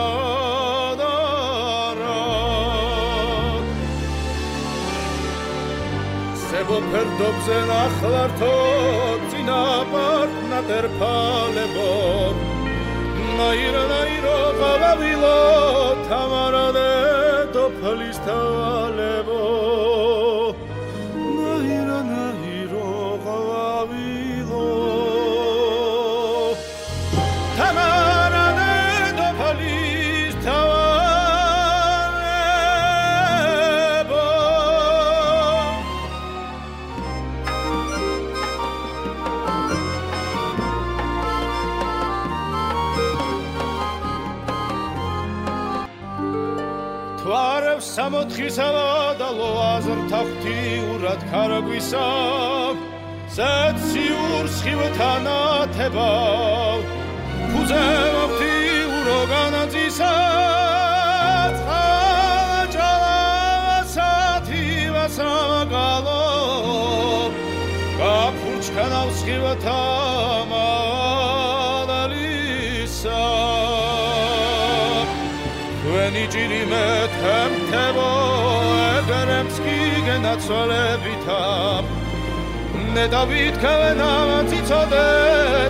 სებო ფერდობზე ნახლართო წინაპართ ნატერფალებო ნაირა ნაირო ყავავილო თამარადე დოფლის თალებო ნაირა ნაირო ყავავილო თამარადე დოფლის თალებო თვარებს სამოთხისავა და ლოაზრთა ღვთიურად ქარაგვისა ზეციურ სხივთან ათება ფუძევა ღვთიურო განაძისა წყალაჭალა სათივა სამაგალო გაფურჩქანავ სხივთა მადალისა When ijiri methemtebo egeremski genatsolevitab Ne David kavena tsitsode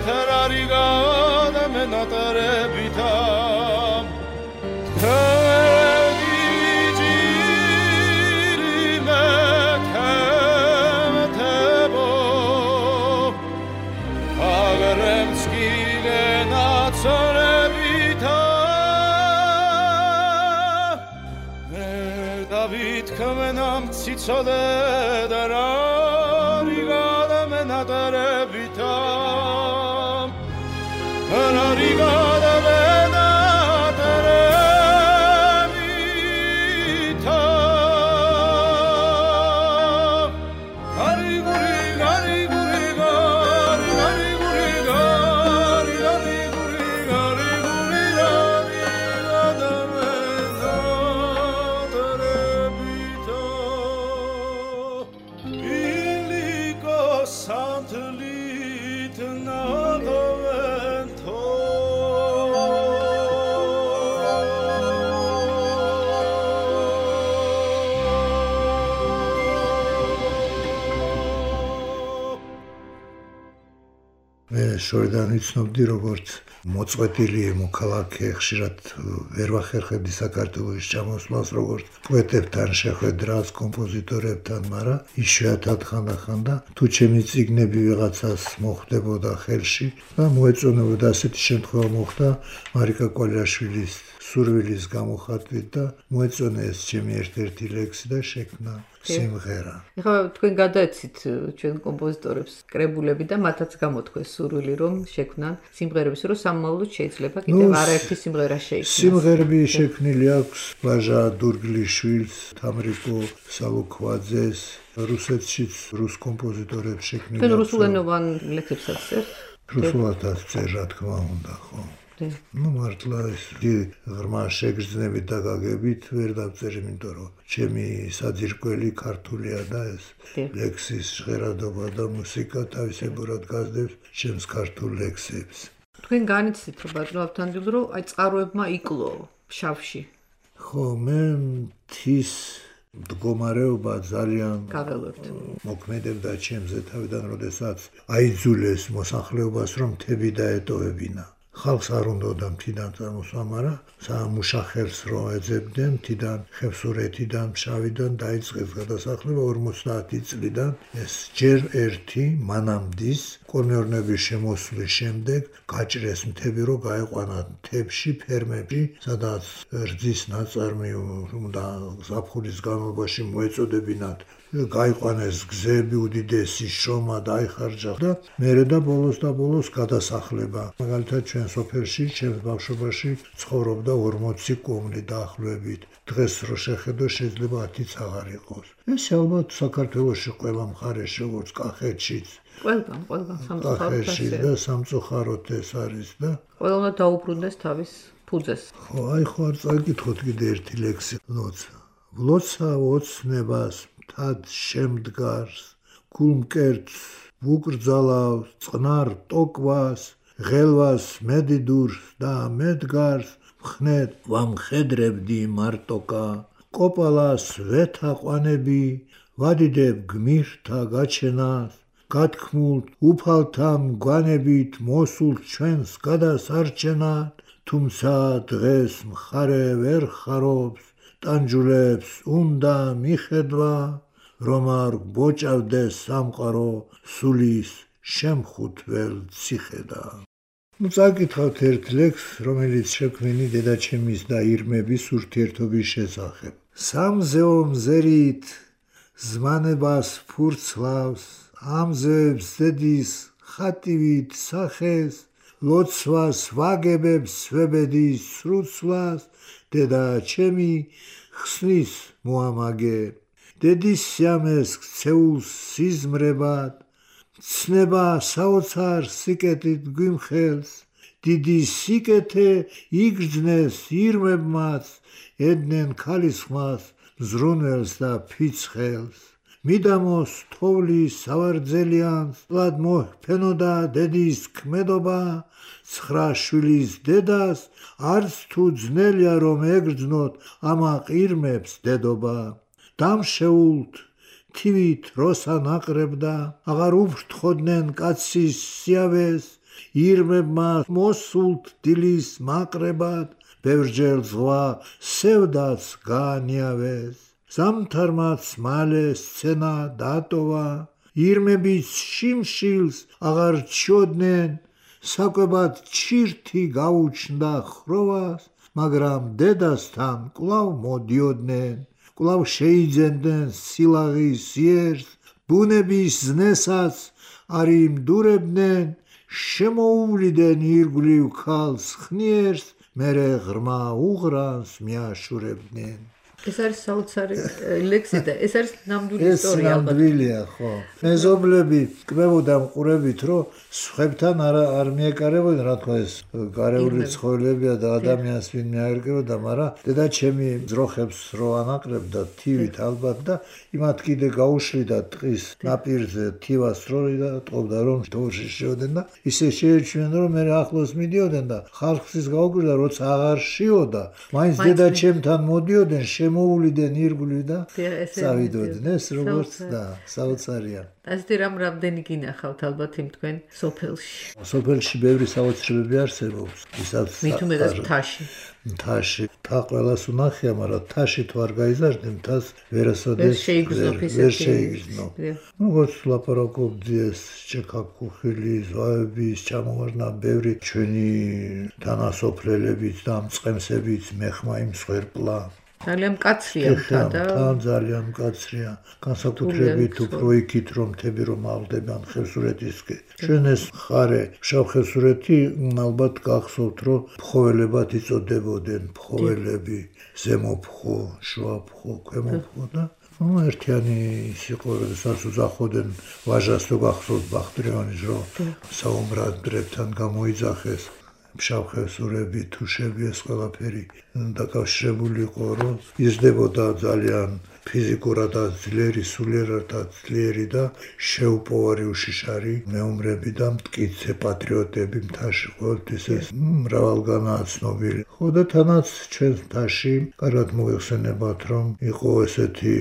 terariga menatarevitab When ijiri methemtebo egeremski genatsolevitab David kamenam tsitsode darariga menatarevitam darariga menatarevitam gariguri gariguri gari gariguri gari gariguri gariguri Santelit navento მე შორიდან ვიცნობდი როგორც მოწყვეტილი მოქალაქე ხშირად ვერ ვახერხებდი საქართველოს ჩამოსვლას როგორც პოეტებთან შეხვედრას კომპოზიტორებთან მაგრამ იშვიათად ხანდახანდა თუ ჩემი წიგნები ვიღაცას მოხდებოდა ხელში და მოეწონებოდა ასეთი შემთხვევა მოხდა მარიკა კვალიაშვილის სურვილის გამოხატვით და მოეწონა ეს ჩემი ერთ-ერთი ლექსი და შექმნა სიმღერა. ეხლა თქვენ გადაეცით ჩვენ კომპოზიტორებს კრებულები და მათაც გამოთქვეს სურვილი რომ შექმნან სიმღერების რომ სამმავლოდ შეიძლება კიდევ არაერთი სიმღერა შეიქმნას. სიმღერები შექმნილი აქვს ლაჟა დურგლიშვილს, თამრიკო სალუქვაძეს, რუსეთშიც რუს კომპოზიტორებს შექმნილი. თქვენ რუსულენოვან ლექსებსაც წერთ? რუსულადაც წერ რა თქმა უნდა, ხო. Ну, მართლა ეს ღრმა შეგრძნებით და გაგებით ვერ დავწერი, იმიტომ რომ ჩემი საძირკველი ქართულია და ეს ლექსის ჟღერადობა და მუსიკა თავისებურად გასდევს ჩემს ქართულ ლექსებს. თქვენ განიცდით რომ ბატონო ავთანდილ რომ აი წყაროებმა იკლო ფშავში. ხო, მე მთის მდგომარეობა ძალიან გაველებთ. მოქმედებდა ჩემზე თავიდან, როდესაც აიძულეს მოსახლეობას რომ მთები დაეტოვებინა. ხალხს არ უნდოდა მთიდან წარმოსვა, მაგრამ სამუშახელს რო ეძებდნენ მთიდან, ხევსურეთიდან, ფშავიდან დაიწყეს გადასახლება ორმოცდაათი წლიდან. ეს ჯერ ერთი მანამდის კოლონიურების შემოსვლის შემდეგ გაჭრეს მთები, რომ გაეყვანათ მთებში, ფერმებში, სადაც რძის ნაწარმი და ზაფხულის განმავლობაში მოეწოდებინათ გაიყვანეს გზები, უდიდესი შრომა დაიხარჯა და მერე და ბოლოს და ბოლოს გადასახლება. მაგალითად ჩვენ სოფელში, ჩემს ბავშვობაში ცხოვრობდა ორმოცი კომლი დაახლოებით. დღეს რო შეხედო შეიძლება ათიც აღარ იყოს. ეს ალბათ საქართველოში ყველა მხარეში, როგორც კახეთშიც, ყველგან, ყველგან სამწუხაროდ და სამწუხაროდ ეს არის და ყველა უნდა დაუბრუნდეს თავის ფუძეს. ხო, აი ხო არ წაგიკითხოთ კიდე ერთი ლექსი, ლოცა. ლოცა ოცნებას თად შემდგარს, გულმკერდს ვუკრძალავს, წყნარ ტოკვას, ღელვას მედიდურს და მედგარს, მხნედ ვამხედრებდი მარტოკა, კოპალას ვეთაყვანები, ვადიდებ გმირთა გაჩენას, გათქმულ უფალთა მგვანებით მოსულ ჩვენს გადასარჩენად, თუმცა დღეს მხარე ვერ ხარობს, ტანჯულებს უნდა მიხედვა, რომ არ გბოჭავდეს სამყარო სულის შემხუთվել ციხედა. ნუ წაკითხავთ ერთ ლექსს, რომელიც შექმნილი დედაჩემის და ირმების ურთიერთობის შესახებ. სამზეო მზერით ზმანებას ფურცლავს, ამზევებს ზედის ხატივით სახეს, ლოცვას ვაგებებს სვებედის სრუცვლას, დედაჩემი ხსნის მოამაგე. დედის სიამეს ქცეულს სიზმრებად, ცნება საოცარ სიკეთით გვიმხელს, დიდი სიკეთე იგრძნეს ირმებმაც, ედნენ ქალისხმას მზრუნველს და ფიცხელს. მიდამოს თოვლის სავარძელიანს, ლად მოჰფენოდა დედის ქმედობა, ცხრა შვილის დედას, არც თუ ძნელია რომ ეგრძნოთ ამა ყირმებს დედობა. დამშეულთ თივით როსა ნაყრებდა, აღარ უფრთხოდნენ კაცის სიავეს, ირმებმა მოსულთ დილის მაყრებად, ბევრჯერ ზღვა სევდაც გაანიავეს. ზამთარმაც მალე სცენა დატოვა, ირმების შიმშილს აღარ ჩიოდნენ, საკვებად ჩირთი გაუჩნდა ხროვას, მაგრამ დედასთან კვლავ მოდიოდნენ, კვლავ შეიძენდნენ სილაღის იერს, ბუნების ზნესაც არ იმდურებდნენ, შემოუვლიდან ირგვლივ ქალს ხნიერს, მერე ღრმა უღრანს მიაშურებდნენ. ეს არის საოცარი ლექსი და ეს არის ნამდვილი ეს ისტორია ალბათ. ნამდვილია, ხო. მეზობლები კმებოდა მყურებით, რომ სხვებთან არ არ მიეკარებოდნენ, რა თქმა ეს გარეული ცხოველებია და ადამიანს ვინ მიაერკებოდა, მაგრამ დედაჩემი ძროხებს რო ანაყრებდა თივით ალბათ და იმათ კიდე გაუშლიდა ტყის ნაპირზე თივას როი და ტყობდა რომ თორში შევდნენ და ისე შეეჩვენენ რომ მე ახლოს მიდიოდნენ და ხალხის გაუკვირდა როცა აღარ შიოდა, მაინც დედაჩემთან მოდიოდნენ, შემოუვლიდან ირგვლივ და წავიდოდნენ. ეს როგორც და საოცარია. ასეთი რამ რამდენი გინახავთ ალბათ იმ თქვენ სოფელში. სოფელში ბევრი საოცრებები არსებობს. ისაც მით უმეტეს მთაში. მთაში თა ყველას უნახია, მაგრამ თაში თუ არ გაიზარდე, მთას ვერასოდეს ვერ შეიგრძნო. როგორც ლაპარაკობდი ეს ჭექა-ქუხილის, ზვავების ჩამოვარდნა ბევრი ჩვენი თანასოფლელებიც და მწყემსებიც მეხმა იმ მსხვერპლა. ძალიან მკაცრია მთა და ძალიან მკაცრია. განსაკუთრებით უფრო იქით რომ მთები რომ აღდებიან ხევსურეთისკენ. ჩვენ ეს მხარე შავხევსურეთი ალბათ გახსოვთ რომ ფხოველებად იწოდებოდნენ, ფხოველები, ზემოფხო, შუაფხო, ქვემოფხო და ნუ ერთიანი ის იყო, როდესაც უძახოდნენ ვაჟას თუ გახსოვთ ბახტრიანის რომ საუმბრად-დრებთან გამოიძახეს. შავხევსურები, თუშები ეს ყველაფერი დაკავშირებული იყო, რომ იზრდებოდა ძალიან ფიზიკურადაც ძლიერი, სულიერადაც ძლიერი და შეუპოვარი უშიშარი მეომრები და მტკიცე პატრიოტები მთაში ყოველთვის ეს მრავალგანაა ცნობილი. ხო და თანაც ჩვენს მთაში კარგად მოიხსენებათ, რომ იყო ესეთი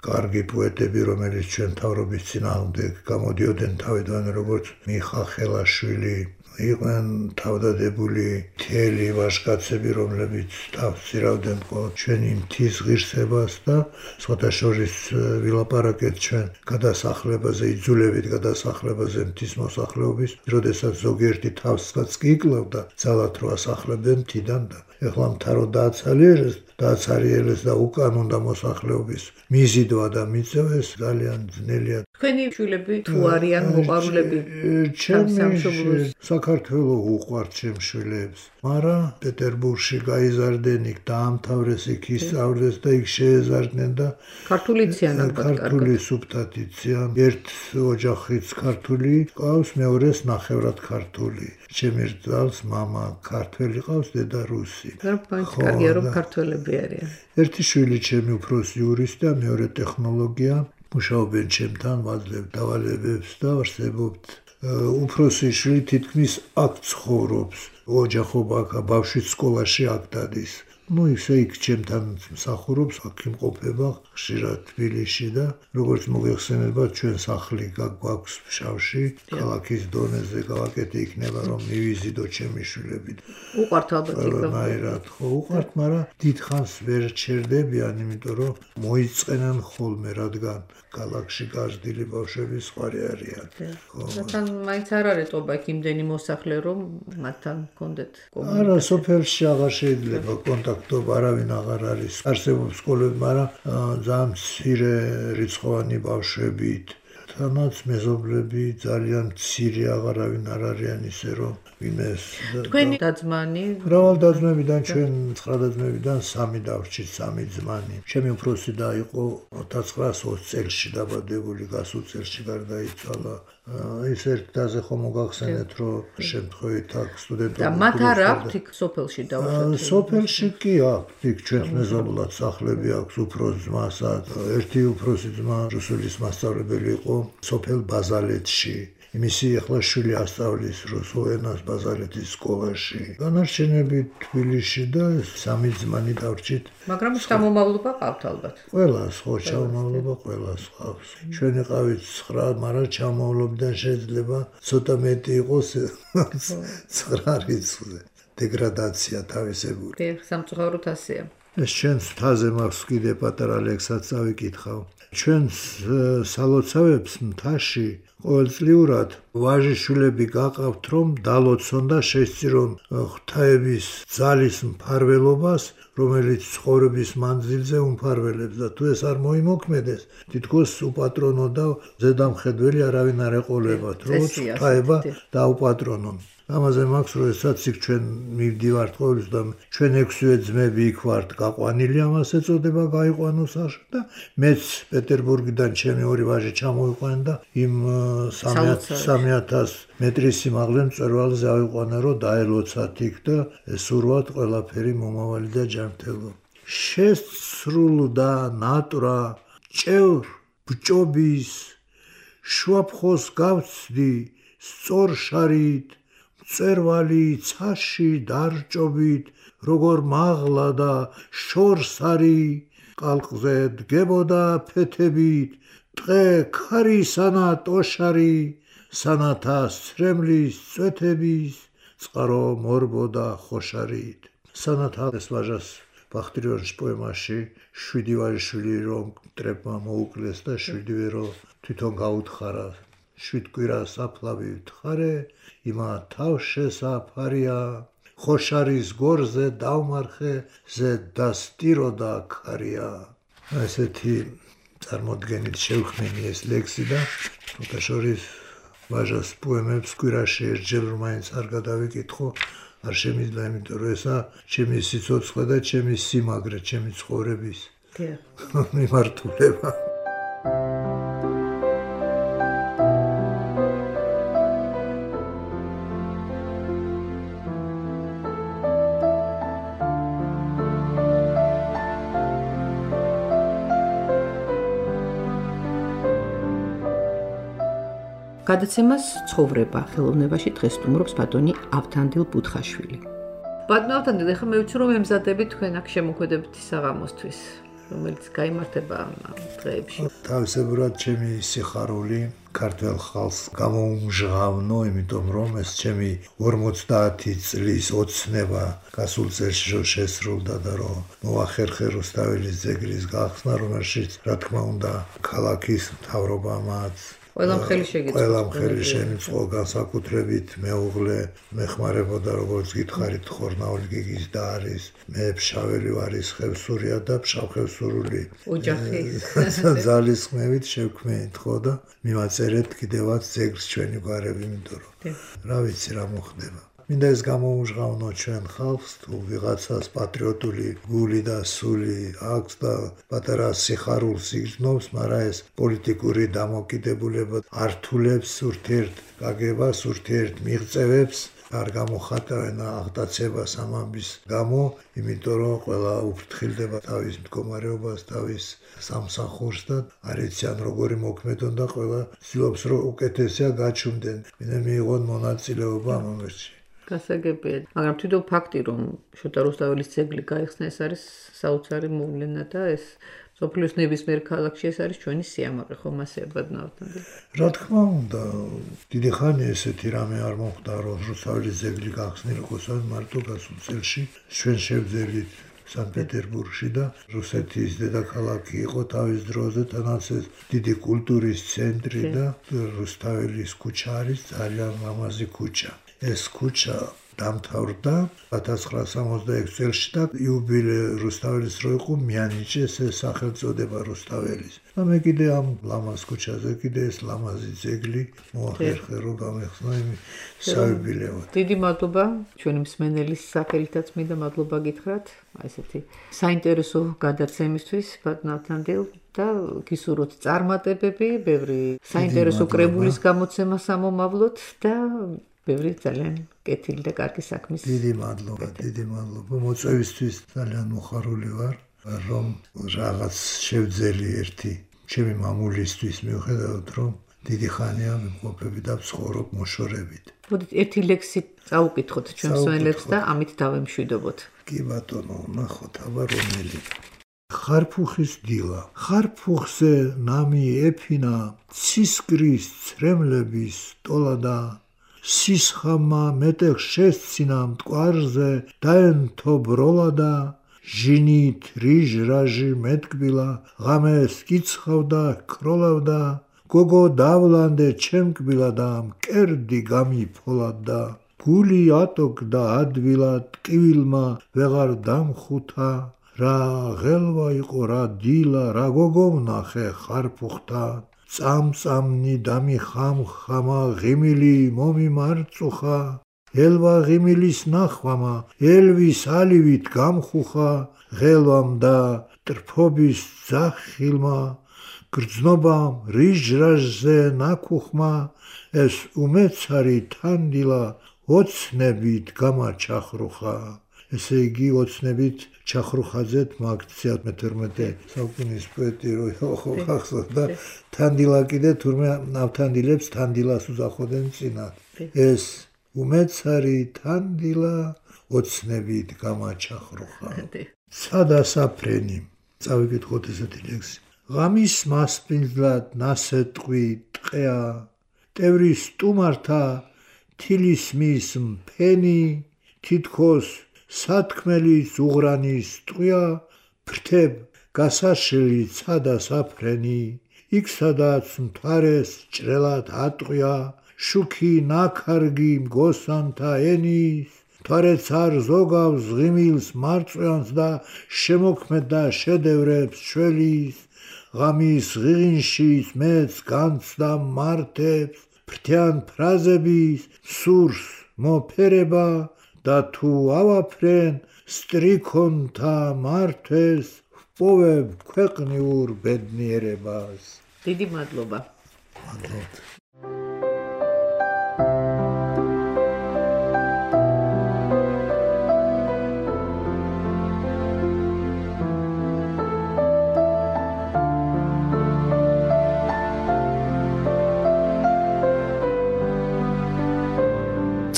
კარგი პოეტები, რომელიც ჩვენ მთავრობის წინააღმდეგ გამოდიოდნენ თავიდან, როგორც მიხა ხელაშვილი, იყვნენ თავდადებული მთელი ვაჟკაცები, რომლებიც თავსირავდნენ ჩვენი მთის ღირსებას და სხვათა შორის ვილაპარაკეთ ჩვენ გადასახლებაზე, იძულებით გადასახლებაზე მთის მოსახლეობის, როდესაც ზოგიერთი თავსაც კი იკლავდა, ძალად რო ასახლებდნენ მთიდან და ეხლა მთა რო დააცალიერეს, დააცარიელეს და უკან უნდა მოსახლეობის მიზიდვა და მიწევეს, ძალიან ძნელია. თქვენი შვილები თუ არიან მოყვარულები ჩემს საქართველოს უყვართ ჩემს შვილებს, მაგრამ პეტერბურგში გაიზარდნენ, იქ დაამთავრეს, იქ ისწავლეს და იქ შეეზარდნენ და ქართული ციან ალბათ კარგად. ქართული სუფთათი ციან, ერთ ოჯახიც ქართული ყავს, მეორეს ნახევრად ქართული. ჩემი რძალს მამა ქართველი ყავს, დედა რუსი. კარგია რომ ქართველები არიან. ერთი შვილი ჩემი უფროსი იურისტია, მეორე ტექნოლოგია. მუშაობენ ჩემთან, ვაძლევ დავალებებს და არსებობთ. უფროსი შვილი თითქმის აქ ცხოვრობს, ოჯახობა აქ, ბავშვიც სკოლაში აქ დადის. ну ისე იქ ჩემთან მსახურობს, აქ იმყოფება ხშირად თბილისში და როგორც მოგეხსენება ჩვენ სახლი გვაქვს ფშავში, ქალაქის დონეზე გავაკეთე იქნება რომ მივიზიდო ჩემი შვილები. უყვართ ალბათ იქ. რაირად ხო უყვართ, მაგრამ დიდხანს ვერ ჩერდებიან, იმიტომ რომ მოიწყენან ხოლმე, რადგან ქალაქში გაზრდილი ბავშვები სხვარი არიან. ხო. რადგან მაინც არ არის ტობა იქ იმდენი მოსახლე რომ მათთან გქონდეთ კომუნიკაცია. არა, სოფელში აღარ შეიძლება კონტაქტობა, არავინ აღარ არის. არსებობს სკოლები, მაგრამ ძალიან მცირე რიცხოვანი ბავშვებით. თანაც მეზობლები ძალიან მცირე აღარავინ არ არიან ისე რომ ვინმეს თქვენი დაძმანი მრავალ დაძმებიდან ჩვენ ცხრა დაძმებიდან სამი დავრჩით, სამი ძმანი. ჩემი უფროსი და იყო ოცდაათს ოცი წელში დაბადებული, გასულ წელში გარდაიცვალა. ის ერთ დაზე ხომ მოგახსენეთ რომ შემთხვევით აქ სტუდენტები და მათ არ აქვთ იქ სოფელში დაუშვათ. სოფელში კი აქვთ, იქ ჩვენს მეზობლად სახლები აქვს, უფროს ძმასაც. ერთი უფროსი ძმა რუსულის მასწავლებელი იყო სოფელ ბაზალეთში. მისი ახლა შვილი ასწავლის რუსულ ენას ბაზალეთის სკოლაში. განარჩენები თბილისში და სამი ძმანი დავრჩით. მაგრამ შთამომავლობა ყავთ ალბათ. ყველას ხო შთამომავლობა ყველას ყავს. ჩვენ იყავით ცხრა, მაგრამ ჩამომავლობიდან შეიძლება ცოტა მეტი იყოს ცხრა რიცხვზე. დეგრადაცია თავისებული. კი, სამწუხაროდ ასეა. ეს ჩვენს მთაზე მაქვს კიდე პატარა ლექსად წავიკითხავ. ჩვენს სალოცავებს მთაში ყოველწლიურად ვაჟიშვილები გაყავთ რომ დალოცონ და შესწირონ ღვთაების ძალის მფარველობას, რომელიც ცხოვრების მანძილზე უმფარველებს და თუ ეს არ მოიმოქმედეს, თითქოს უპატრონო და ზედამხედველი არავინ არ ეყოლებათ, როგორც ღვთაება დაუპატრონონ. ამაზე მაქვს როდესაც იქ ჩვენ მივდივართ ყოველთვის და ჩვენ ექვსივე ძმები იქ ვართ გაყვანილი, ამას ეწოდება გაიყვანო სახში და მეც პეტერბურგიდან ჩემი ორი ვაჟი ჩამოიყვანენ და იმ სამი ათას მეტრის სიმაღლე მწვერვალზე ავიყვანა რომ დაელოცათ იქ და ესურვათ ყველაფერი მომავალი და ჯანმრთელო. შესრულდა ნატრა ჭევრ ბჭობის შუაფხოს გავცდი სწორ შარით მწერვალი ცაში დარჭობით, როგორ მაღლა და შორსარი კალყზე დგებოდა ფეთებით, ტყე ქარისანა ტოშარი, სანათა სრემლის წვეთების, წყარო მორბოდა ხოშარით. სანათა ეს ვაჟას ბახტრიონის პოემაში შვიდი ვაჟიშვილი რომ მტრებმა მოუკლეს და შვიდივე რომ თვითონ გაუთხარა. შვიდ კვირას აფლავი ვთხარე, იმა თავშესაფარია, ხოშარის გორზე დავმარხე, ზე დასტიროდა ქარია. ესეთი წარმოდგენით შევხმენი ეს ლექსი და თუთაშორის ვაჟას პოემებს კვირაში ერთჯერ მაინც არ გადავიკითხო, არ შემიძლია, იმიტომ რომ ესა ჩემი სიცოცხლე და ჩემი სიმაგრე, ჩემი ცხოვრების მიმართულება. გადაცემას ცხოვრება ხელოვნებაში დღეს სტუმრობს ბატონი ავთანდილ ბუთხაშვილი. ბატონო ავთანდილ, ეხლა მე ვიცი რომ ემზადებით თქვენ აქ შემოქმედებითი საღამოსთვის, რომელიც გაიმართება ამ დღეებში. თავისებურად ჩემი სიხარული ქართველ ხალხს გამოუმჟღავნო, იმიტომ რომ ეს ჩემი ორმოცდაათი წლის ოცნება გასულ წელში რომ შესრულდა და რომ მოახერხე რუსთაველის ძეგლის გახსნა, რომელშიც რა თქმა უნდა ქალაქის მთავრობამაც ყველამ ხელი შეგეწყო. ყველამ ხელი შემიწყო, განსაკუთრებით მეუღლე მეხმარებოდა, როგორც გითხარით, ხორნაული გიგის და არის, მე ფშაველი ვარის ხევსურია და ფშავხევსურული ოჯახი ძალისხმევით შევქმნით ხო და მივაწერეთ კიდევაც ძეგლს ჩვენი გვარები, იმიტომ რომ რა ვიცი რა მოხდება. მინდა ეს გამოუმჟღავნო ჩვენ ხალხს, თუ ვიღაცას პატრიოტული გული და სული აქვს და პატარა სიხარულს იგრძნობს, მაგრამ ეს პოლიტიკური დამოკიდებულება ართულებს ურთიერთგაგებას, ურთიერთმიღწევებს, არ გამოხატავენ აღტაცებას ამ ამბის გამო, იმიტომ რომ ყველა უფრთხილდება თავის მდგომარეობას, თავის სამსახურს და არ იციან როგორი მოქმედონ და ყველა ცდილობს რომ უკეთესია გაჩუმდნენ. მინდა მიიღონ მონაწილეობა ამ ამბებში. გასაგებია. მაგრამ თვითონ ფაქტი, რომ შოთა რუსთაველის ძეგლი გაიხსნა, ეს არის საოცარი მოვლენა და ეს სოფლის ნებისმიერ ქალაქში ეს არის ჩვენი სიამაყე, ხომ ასე ბედნავთან. რა თქმა უნდა, დიდი ხანია ესეთი რამე არ მოხდა, რომ რუსთაველის ძეგლი გახსნილიყო მარტო გასულ წელში. ჩვენ შევძელით სანქტ-პეტერბურგში და რუსეთის დედაქალაქი იყო თავის დროზე, თანაც ეს დიდი კულტურის ცენტრი და რუსთაველის ქუჩა არის ძალიან ლამაზი ქუჩა. ეს ქუჩა დამთავრდა ათას ცხრაას სამოცდაექვსი წელში და იუბილე რუსთაველის რო იყო მიანიჭეს ეს სახელწოდება რუსთაველის. და მე კიდე ამ ლამაზ ქუჩაზე კიდე ეს ლამაზი ძეგლი მოახერხე რომ გამეხსნა იმ საიუბილეოდ. დიდი მადლობა ჩვენი მსმენელის სახელითაც მინდა მადლობა გითხრათ აი ესეთი საინტერესო გადაცემისთვის ბატონავთანდილ და გისურვოთ წარმატებები, ბევრი საინტერესო კრებულის გამოცემა სამომავლოდ და ბევრი ძალიან კეთილი და კარგი საქმის. დიდი მადლობა, დიდი მადლობა. მოწვევისთვის ძალიან მოხარული ვარ, რომ რაღაც შევძელი ერთი ჩემი მამულისთვის მიუხედავად რომ დიდი ხანია ვიმყოფები და ვცხოვრობ მოშორებით. მოდით ერთი ლექსი წაუკითხოთ ჩვენ მსმენელებს და ამით დავემშვიდობოთ. კი ბატონო, ნახოთ აბა რომელი. ხარფუხის დილა. ხარფუხზე ნამი ეფინა ცისკრის ცრემლების ტოლადა სისხამა მეტეხ შესცინა მტკვარზე დაენთო ბროლადა ჟინით რიჟ რაჟი მეტკბილა ღამეს კიცხავდა კროლავდა გოგო დავლანდე ჩემკბილა და მკერდი გამიფოლადა გული ატოკდა ადვილა ტკივილმა ვეღარ დამხუთა რა ღელვა იყო რა დილა რა გოგო ვნახე ხარფუხთა წამწამნი დამიხამხამა ღიმილი მომიმარწუხა ელვა ღიმილის ნახვამა ელვის ალივით გამხუხა ღელვამ და ტრფობის ძახილმა გრძნობამ რიჟრაჟზე ნაკუხმა ეს უმეცარი თანდილა ოცნებით გამაჩახრუხა ესე იგი ოცნებით ჩახრუხაძეთ მაგციათ მეთერთმეტე საუკუნის პოეტი რო ხო ხახსოვდა თანდილა კიდე თურმე ნავთანდილებს თანდილას უძახოდნენ წინა ეს უმეცარი თანდილა ოცნებით გამაჩახრუხა სადასაფრენი წავიკითხოთ ესეთი ლექსი ღამის მასპინძლად ნასეტყვი ტყეა ტევრის სტუმართა თილისმის მფენი თითქოს სათქმელის უღრანის ტყვია ფრთებ გასაშლელი სადასაფრენი იქ სადაც მთვარეს ჭრელად ატყვია შუქი ნაქარგი მგოსანთა ენის მთვარეც არ ზოგავს ღიმილს მარწვიანს და შემოქმედ და შედევრებს შველის ღამის ღიღინშიც მეც განცდა მართებს ფრთიან ფრაზების სურს მოფერება და თუ ავაფრენ სტრიქონთა მართვეს ვპოვებ ქვეყნიურ ბედნიერებას. დიდი მადლობა. მადლობა.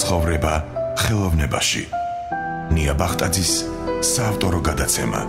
ცხოვრება ხელოვნებაში. ნია ბახტაძის საავტორო გადაცემა.